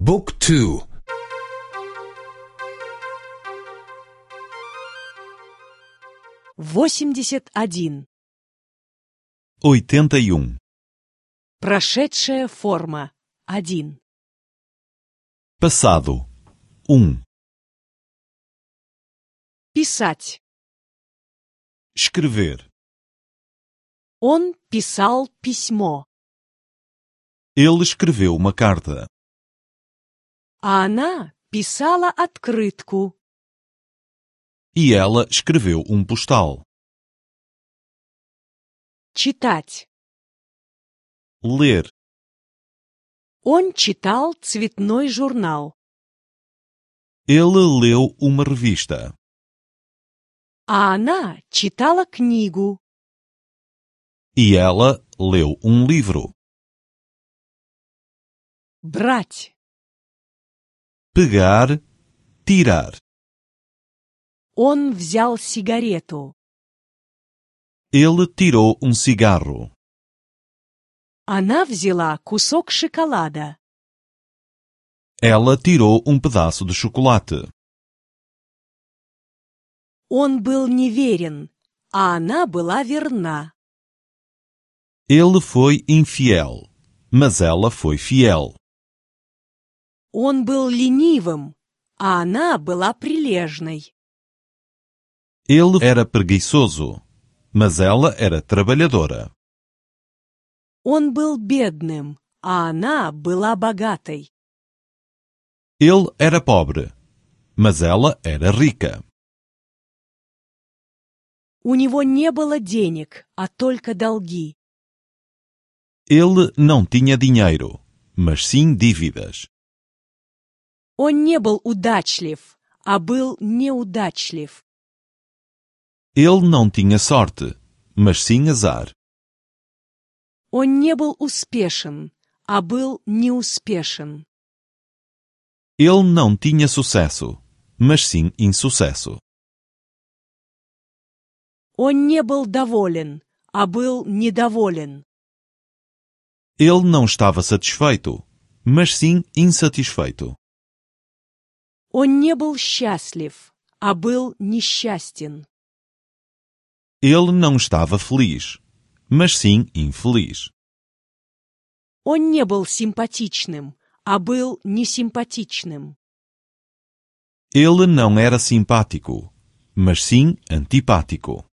บุ๊กทู 81. 81. Прошедшая форма. 1. Passado. 1. Писать. Escrever. Он писал письмо. Ele escreveu uma carta. А она писала открытку. E ela escreveu um postal. Читать. Ler. Он читал цветной журнал. Ele leu uma revista. А она читала книгу. E ela leu um livro. Брать. Pegar, tirar. Он взял сигарету. Ele tirou um cigarro. Она взяла кусок шоколада. Ela tirou um pedaço de chocolate. Он был неверен, а она была верна. Ele foi infiel, mas ela foi fiel. Он был ленивым, а она была прилежной. Ele era preguiçoso, mas ela era trabalhadora. Он был бедным, а она была богатой. Ele era pobre, mas ela era rica. У него не было денег, а только долги. Ele não tinha dinheiro, mas sim dívidas. Он не был удачлив, а был неудачлив. Ele não tinha sorte, mas sim azar. Он не был успешен, а был неуспешен. Ele não tinha sucesso, mas sim insucesso. Он не был доволен, а был недоволен. Ele não estava satisfeito, mas sim insatisfeito. Он не был счастлив, а был несчастен. Ele não estava feliz, mas sim infeliz. Он не был симпатичным, а был несимпатичным. Ele não era simpático, mas sim antipático.